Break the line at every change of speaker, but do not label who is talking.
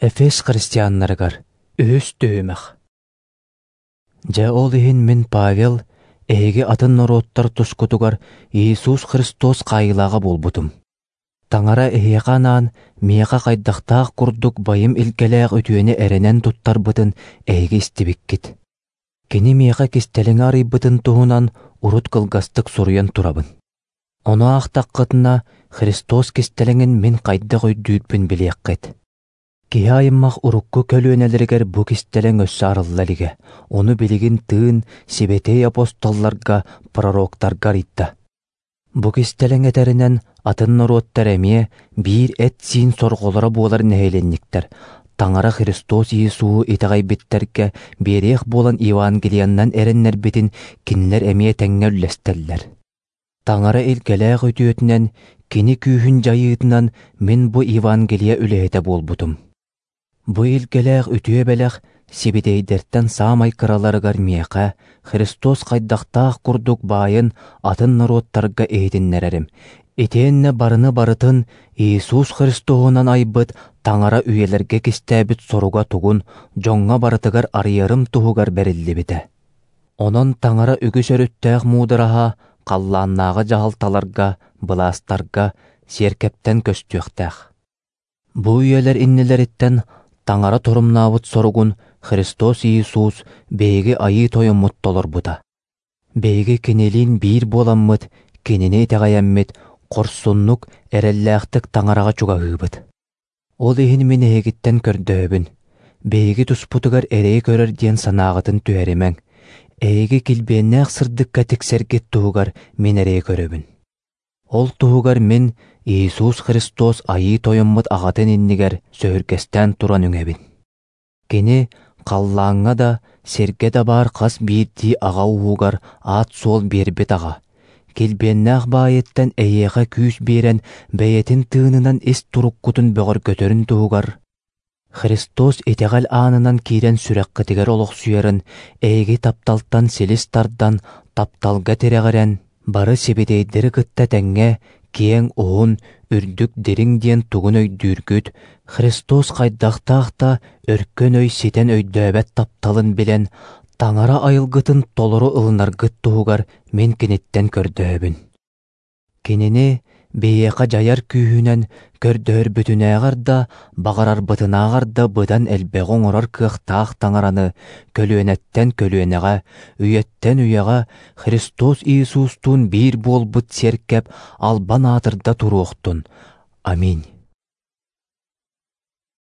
Эфес христианнарыгар үһүс түһүмэх. Дьэ ол иһин мин Павел эһиги атын норуоттар тускутугар Иисус Христос хаайыылааҕа буолбутум. Таҥара эһиэхэ анаан миэхэ хайдахтаах курдук байым илгэлээх үтүөнү эрэнэн туттарбытын эһиги истибиккит. Кини миэхэ кистэлэҥи арыйбытын туһунан урут кылгастык суруйан турабын. Ону аахтаххытына Христос кистэлэҥин мин хайдах өйдүүрбүн билиэххит. Киһи аймах урукку көлүөнэлэригэр бу кистэлэҥ өссө арылла илигэ, ону билигин тыын сибэтиэй апостолларга, пророктарга арыйда. Бу кистэлэҥ этэринэн атын норуоттар эмиэ биир эт-сиин сорҕолоро буолар нэһилиэнньиктэр Таҥара Христос Иисуһу итэҕэйбиттэргэ биэриэх буолан Евангелиянан эрэннэрбитин кинилэр эмиэ тэҥҥэ үллэстэллэр. Таҥара илгэлээх үтүөтүнэн, Кини күүһүн дьайыытынан мин бу Евангелие үлэһитэ буолбутум. Бу илгэлээх үтүө бэлэх сибитэйдэртэн саамай кыраларыгар миэхэ Христос хайдахтаах курдук баайын атын норуоттарга иһитиннэрэрим, итиэннэ барыны барытын Иисус Христоһунан айбыт Таҥара үйэлэргэ кистээбит соруга тугун дьоҥҥо барытыгар арыйарым туһугар бэриллибитэ. Онон Таҥара үгүс өрүттээх муудараһа халлааннааҕы дьаһалталарга, былаастарга, сиэркэптэн көстүөхтээх. Бу үйэлэр иннилэриттэн Таҥара торумнаабыт соругун Христос Иисус биһиги Айыы Тойоммут толорбута. Биһиги Кинилиин биир буоламмыт, Кинини итэҕэйэммит, хорсуннук, эрэллээхтик Таҥараҕа чугаһыыбыт. Ол иһин мин эһигиттэн көрдөһөбүн, биһиги туспутугар эрэйи көрөр диэн санааҕытын түһэримэҥ, эһиги килбиэннээх сырдыкка тиксэргит туһугар мин эрэйи көрөбүн. Ол туһугар мин Иисус Христос Айыы Тойоммут Аҕатын иннигэр сөһүргэстээн туран үҥэбин. Кини халлааҥҥа да, сиргэ да баар хас биирдии аҕа ууһугар аат-суол биэрбит аҕа, килбиэннээх баайыттан эйиэхэ күүс биэрэн бэйэтин тыынынан ис туруккутун бөҕөргөтөрүн туһугар, Христос итэҕэл аанынан киирэн сүрэххитигэр олохсуйарын эһиги тапталтан силис тардан, тапталга тирэҕирэн, бары сибитэйдэри кытта тэҥҥэ киэҥ, уһун, үрдүк, дириҥ диэн тугун өйдүүргүт, Христос хайдахтаах да өркөн өй ситэн өйдөөбөт тапталын билэн, Таҥара айылгытын толору ылынаргыт туһугар мин киниттэн көрдөһөбүн. Кинини биһиэхэ дьайар күүһүнэн көрдөһөрбүтүнээҕэр да, баҕарарбытынааҕар да быдан элбэҕи оҥорор кыахтаах Таҥараны көлүөнэттэн көлүөнэҕэ, үйэттэн үйэҕэ Христос Иисустуун биир буолбут сиэркэп албан аатырда туруохтун. Аминь.